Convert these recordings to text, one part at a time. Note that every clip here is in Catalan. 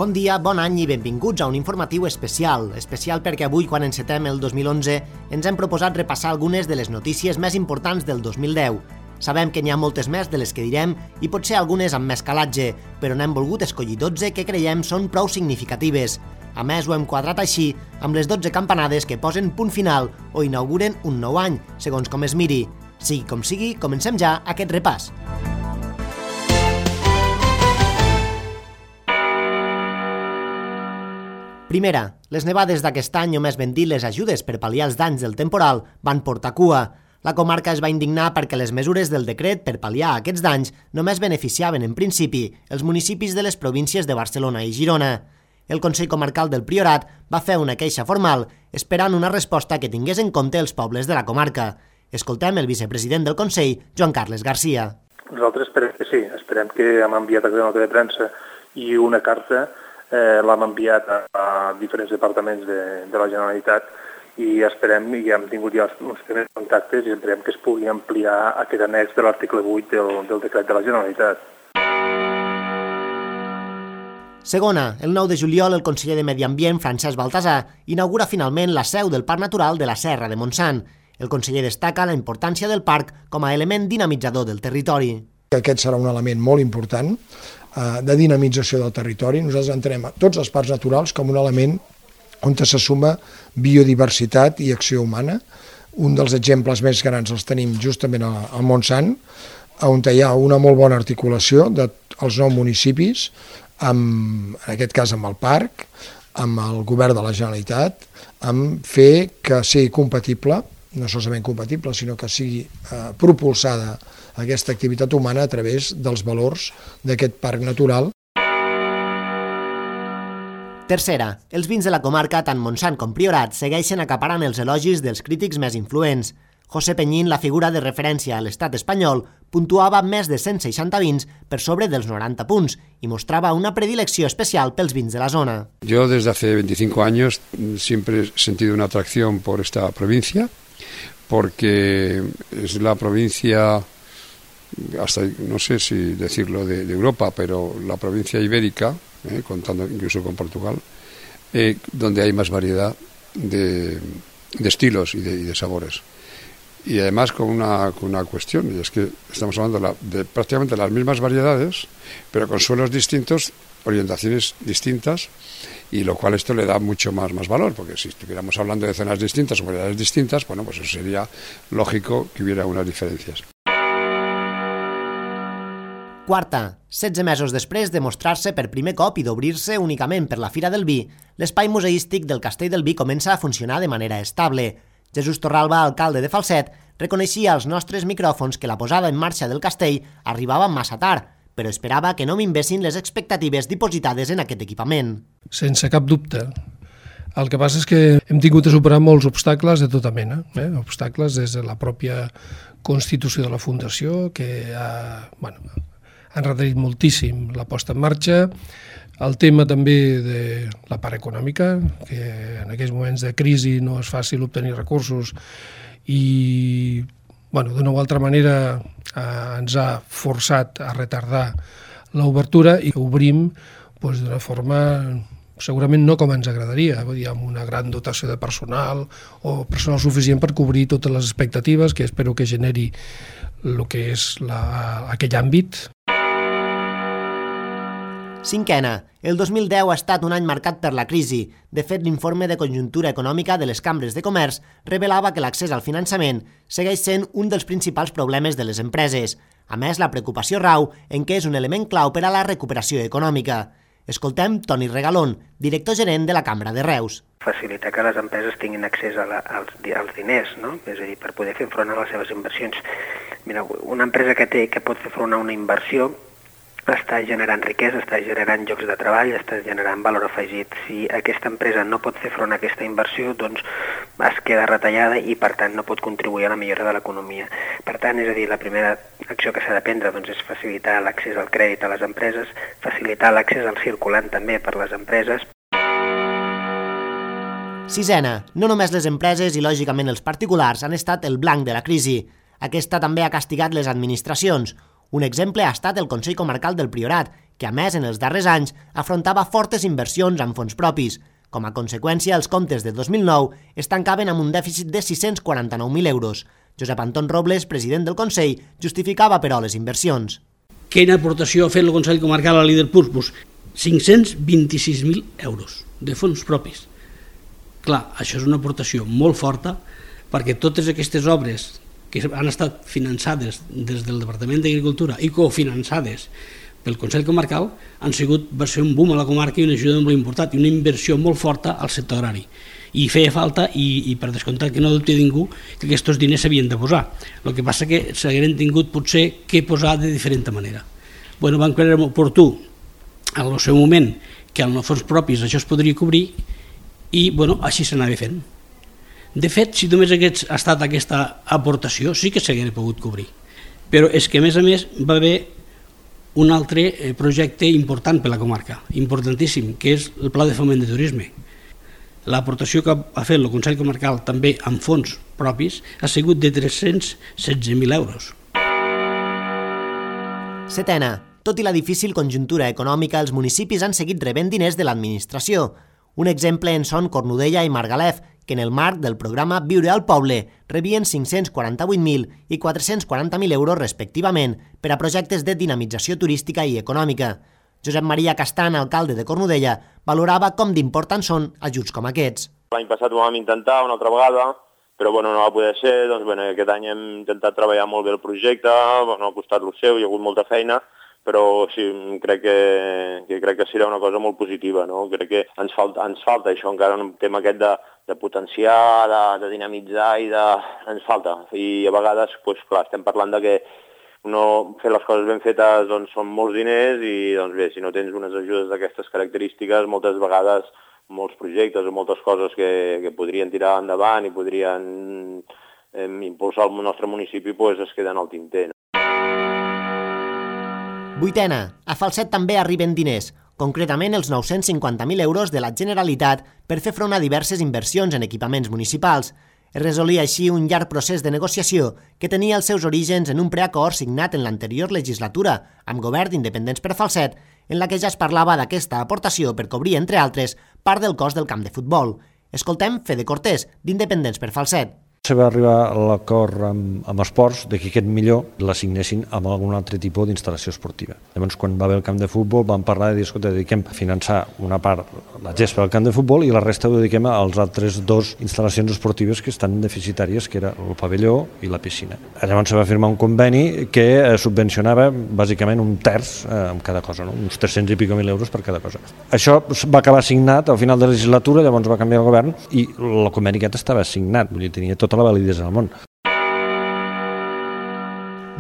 Bon dia, bon any i benvinguts a un informatiu especial. Especial perquè avui, quan encetem el 2011, ens hem proposat repassar algunes de les notícies més importants del 2010. Sabem que n'hi ha moltes més de les que direm i potser algunes amb més calatge, però n'hem volgut escollir 12 que creiem són prou significatives. A més, ho hem quadrat així amb les 12 campanades que posen punt final o inauguren un nou any, segons com es miri. Sigui com sigui, comencem ja aquest repàs. Primera, les nevades d'aquest any, o més ben dit les ajudes per pal·liar els danys del temporal, van portar cua. La comarca es va indignar perquè les mesures del decret per pal·liar aquests danys només beneficiaven, en principi, els municipis de les províncies de Barcelona i Girona. El Consell Comarcal del Priorat va fer una queixa formal, esperant una resposta que tingués en compte els pobles de la comarca. Escoltem el vicepresident del Consell, Joan Carles Garcia. Nosaltres esperem que sí, esperem que hem enviat una nota de premsa i una carta, l'hem enviat a diferents departaments de la Generalitat i esperem, i hem tingut ja uns primers contactes i esperem que es pugui ampliar aquest annex de l'article 8 del decret de la Generalitat. Segona, el 9 de juliol el conseller de Medi Ambient, Francesc Baltasar, inaugura finalment la seu del Parc Natural de la Serra de Montsant. El conseller destaca la importància del parc com a element dinamitzador del territori. Aquest serà un element molt important de dinamització del territori. Nosaltres entenem tots els parcs naturals com un element on se suma biodiversitat i acció humana. Un dels exemples més grans els tenim justament al Montsant, on hi ha una molt bona articulació dels 9 municipis, en aquest cas amb el parc, amb el govern de la Generalitat, amb fer que sigui compatible, no solament compatible, sinó que sigui propulsada aquesta activitat humana a través dels valors d'aquest parc natural. Tercera, els vins de la comarca, tant Montsant com Priorat, segueixen acaparant els elogis dels crítics més influents. José Peñín, la figura de referència a l'estat espanyol, puntuava més de 160 vins per sobre dels 90 punts y mostraba una predilecció especial pels vins de la zona. Yo desde hace 25 años siempre he sentido una atracción por esta provincia, porque es la provincia, hasta no sé si decirlo de Europa, pero la provincia ibérica, contando incluso con Portugal, donde hay más variedad de estilos y de sabores. Y además con una cuestión, y es que estamos hablando de prácticamente las mismas variedades, pero con suelos distintos, orientaciones distintas, y lo cual esto le da mucho más valor, porque si estuviéramos hablando de zonas distintas o variedades distintas, bueno, pues eso sería lógico que hubiera unas diferencias. Quarta, 16 mesos després de mostrar-se per primer cop i d'obrir-se únicament per la Fira del Vi, l'espai museístic del Castell del Vi comença a funcionar de manera estable. Jesús Torralba, alcalde de Falset, reconeixia als nostres micròfons que la posada en marxa del castell arribava massa tard, però esperava que no minvessin les expectatives dipositades en aquest equipament. Sense cap dubte. El que passa és que hem tingut de superar molts obstacles de tota mena. Obstacles des de la pròpia constitució de la Fundació, que han requerit moltíssim la posta en marxa, el tema també de la part econòmica, que en aquells moments de crisi no és fàcil obtenir recursos i d'una o altra manera ens ha forçat a retardar l'obertura i obrim d'una forma segurament no com ens agradaria, amb una gran dotació de personal o personal suficient per cobrir totes les expectatives que espero que generi el que és aquell àmbit. Cinquena, el 2010 ha estat un any marcat per la crisi. De fet, l'informe de conjuntura econòmica de les cambres de comerç revelava que l'accés al finançament segueix sent un dels principals problemes de les empreses. A més, la preocupació rau en què és un element clau per a la recuperació econòmica. Escoltem Toni Regalón, director gerent de la Cambra de Reus. Facilitar que les empreses tinguin accés als diners, no? És a dir, per poder fer front a les seves inversions. Mira, una empresa que pot fer front a una inversió està generant riquesa, està generant llocs de treball, està generant valor afegit. Si aquesta empresa no pot fer front a aquesta inversió, doncs es queda retallada i, per tant, no pot contribuir a la millora de l'economia. Per tant, és a dir, la primera acció que s'ha de prendre és facilitar l'accés al crèdit a les empreses, facilitar l'accés al circulant també per les empreses. Sisena, no només les empreses i, lògicament, els particulars han estat el blanc de la crisi. Aquesta també ha castigat les administracions. Un exemple ha estat el Consell Comarcal del Priorat, que a més en els darrers anys afrontava fortes inversions amb fons propis. Com a conseqüència, els comptes de 2009 es tancaven amb un dèficit de 649.000 euros. Josep Anton Robles, president del Consell, justificava, però, les inversions. Quina aportació ha fet el Consell Comarcal a l'Iderpuls? Pues 526.000 euros de fons propis. Clar, això és una aportació molt forta perquè totes aquestes obres que han estat finançades des del Departament d'Agricultura i cofinançades pel Consell Comarcal va ser un boom a la comarca i una ajuda molt important i una inversió molt forta al sector agrari. I feia falta, i per descomptat que no dubti ningú, que aquests diners s'havien de posar. El que passa que s'hagueren tingut potser que posar de diferent manera. Bueno, vam creure oportú en el seu moment que amb els fons propis això es podria cobrir i bueno, així s'anava fent. De fet, si només hagués estat aquesta aportació, sí que s'hagués pogut cobrir. Però és que, a més, va haver un altre projecte important per la comarca, importantíssim, que és el Pla de Foment de Turisme. L'aportació que ha fet el Consell Comarcal també amb fons propis ha sigut de 316.000 euros. Setena. Tot i la difícil conjuntura econòmica, els municipis han seguit rebent diners de l'administració. Un exemple en són Cornudella i Margalef, que en el marc del programa Viure al Poble rebien 548.000 i 440.000 euros respectivament per a projectes de dinamització turística i econòmica. Josep Maria Castan, alcalde de Cornudella, valorava com d'importants són ajuts com aquests. L'any passat ho vam intentar una altra vegada, però no va poder ser. Aquest any hem intentat treballar molt bé el projecte, ha costat el seu, hi ha hagut molta feina, però sí, crec que serà una cosa molt positiva, no? Crec que ens falta això, encara un tema aquest de potenciar, de dinamitzar ens falta. I a vegades, clar, estem parlant de que fer les coses ben fetes són molts diners i bé, si no tens unes ajudes d'aquestes característiques, moltes vegades molts projectes o moltes coses que podrien tirar endavant i podrien impulsar el nostre municipi es queden al tinter. Vuitena. A Falset també arriben diners, concretament els 950.000 euros de la Generalitat per fer front a diverses inversions en equipaments municipals. Es resolia així un llarg procés de negociació que tenia els seus orígens en un preacord signat en l'anterior legislatura amb Govern d'Independents per Falset, en la que ja es parlava d'aquesta aportació per cobrir, entre altres, part del cost del camp de futbol. Escoltem Fede Cortés, d'Independents per Falset. Se va arribar a l'acord amb esports de que aquest millor l'assignessin amb algun altre tipus d'instal·lació esportiva. Llavors, quan va haver el camp de futbol, vam parlar de dir, escolta, dediquem a finançar una part, la gespa del camp de futbol, i la resta ho dediquem als altres dos instal·lacions esportives que estan deficitàries, que era el pavelló i la piscina. Llavors se va firmar un conveni que subvencionava bàsicament un terç amb cada cosa, no? Uns 300 i pico mil euros per cada cosa. Això va acabar signat al final de la legislatura, llavors va canviar el govern i el conveni aquest estava signat, vull dir, tenia tota la validesa del món.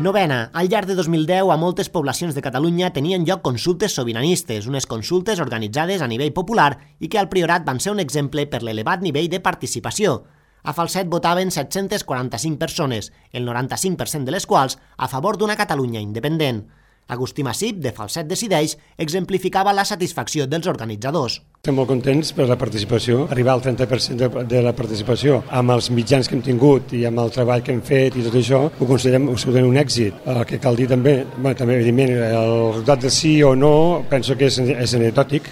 Novena. Al llarg de 2010, a moltes poblacions de Catalunya tenien lloc consultes sobiranistes, unes consultes organitzades a nivell popular i que al Priorat van ser un exemple per l'elevat nivell de participació. A Falset votaven 745 persones, el 95% de les quals a favor d'una Catalunya independent. Agustí Massip, de Falset Decideix, exemplificava la satisfacció dels organitzadors. Estem molt contents per la participació, arribar al 30% de la participació amb els mitjans que hem tingut i amb el treball que hem fet i tot això, ho considerem absolutament un èxit. El que cal dir també evidentment, el resultat de sí o no penso que és anecdòtic.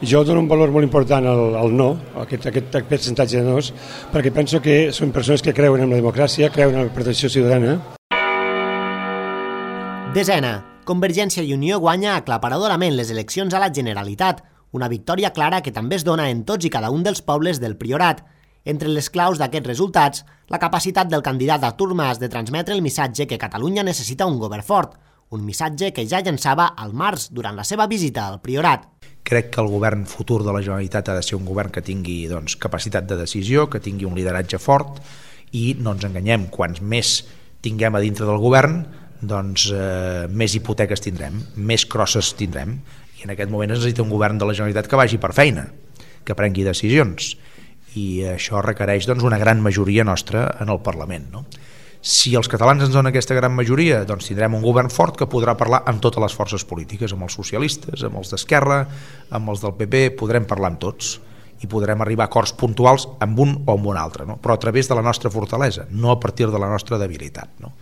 Jo dono un valor molt important al no, aquest percentatge de nos, perquè penso que són persones que creuen en la democràcia, creuen en la protecció ciutadana. Desena. Convergència i Unió guanya aclaparadorament les eleccions a la Generalitat, una victòria clara que també es dona en tots i cada un dels pobles del Priorat. Entre les claus d'aquests resultats, la capacitat del candidat Artur Mas de transmetre el missatge que Catalunya necessita un govern fort, un missatge que ja llançava al març durant la seva visita al Priorat. Crec que el govern futur de la Generalitat ha de ser un govern que tingui capacitat de decisió, que tingui un lideratge fort i no ens enganyem, quants més tinguem a dintre del govern, més hipoteques tindrem, més crosses tindrem, i en aquest moment necessita un govern de la Generalitat que vagi per feina, que prengui decisions, i això requereix una gran majoria nostra en el Parlament, no? Si els catalans ens donen aquesta gran majoria, tindrem un govern fort que podrà parlar amb totes les forces polítiques, amb els socialistes, amb els d'Esquerra, amb els del PP, podrem parlar amb tots i podrem arribar a acords puntuals amb un o amb un altre, no? Però a través de la nostra fortalesa, no a partir de la nostra debilitat, no?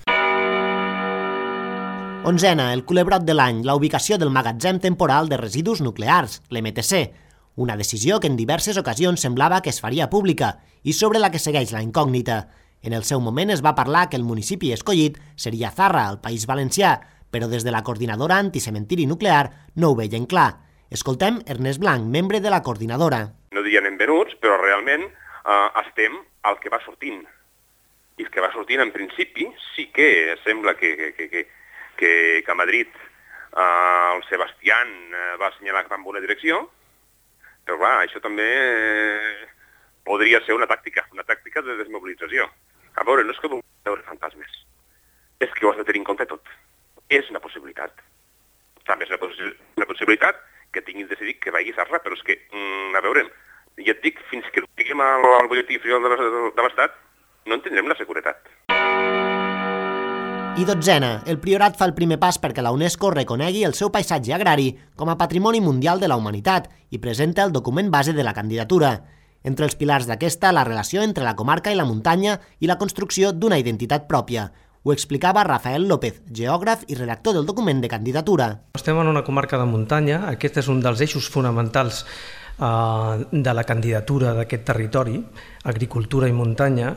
11, el culebrot de l'any, la ubicació del magatzem temporal de residus nuclears, l'MTC, una decisió que en diverses ocasions semblava que es faria pública i sobre la que segueix la incògnita. En el seu moment es va parlar que el municipi escollit seria Zarra, al País Valencià, però des de la coordinadora anticementiri nuclear no ho veien clar. Escoltem Ernest Blanc, membre de la coordinadora. No dirien benvenuts, però realment estem al que va sortint. I el que va sortint, en principi, sí que sembla que a Madrid el Sebastián va assenyalar cap en una direcció, però clar, això també podria ser una tàctica de desmobilització. A veure, no és que vulguem veure fantasmes, és que ho has de tenir en compte tot. És una possibilitat. També és una possibilitat que tinguin decidit que vagi a Zarra, però és que, a veure, ja et dic, fins que diguem al butlletí oficial de l'Estat, no en tindrem la seguretat. I 12, el Priorat fa el primer pas perquè la UNESCO reconegui el seu paisatge agrari com a Patrimoni Mundial de la Humanitat i presenta el document base de la candidatura. Entre els pilars d'aquesta, la relació entre la comarca i la muntanya i la construcció d'una identitat pròpia. Ho explicava Rafael López, geògraf i redactor del document de candidatura. Estem en una comarca de muntanya, aquest és un dels eixos fonamentals de la candidatura d'aquest territori, agricultura i muntanya,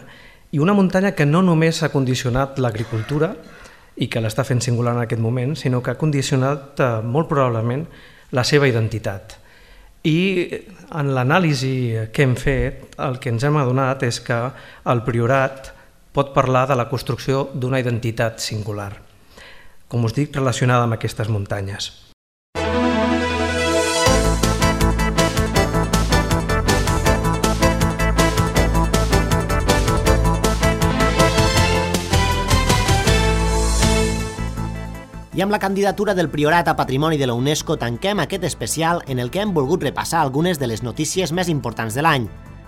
i una muntanya que no només ha condicionat l'agricultura i que l'està fent singular en aquest moment, sinó que ha condicionat molt probablement la seva identitat. I en l'anàlisi que hem fet, el que ens hem adonat és que el Priorat pot parlar de la construcció d'una identitat singular, com us dic, relacionada amb aquestes muntanyes. I amb la candidatura del Priorat a Patrimoni de la UNESCO tanquem aquest especial en el que hem volgut repassar algunes de les notícies més importants de l'any.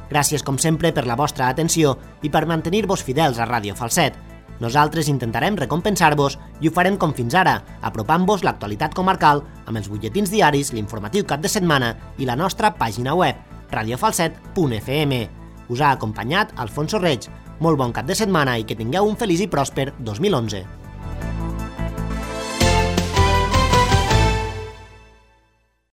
Gràcies, com sempre, per la vostra atenció i per mantenir-vos fidels a Ràdio Falset. Nosaltres intentarem recompensar-vos i ho farem com fins ara, apropant-vos l'actualitat comarcal amb els butlletins diaris, l'informatiu cap de setmana i la nostra pàgina web, radiofalset.fm. Us ha acompanyat Alfonso Reig. Molt bon cap de setmana i que tingueu un feliç i pròsper 2011.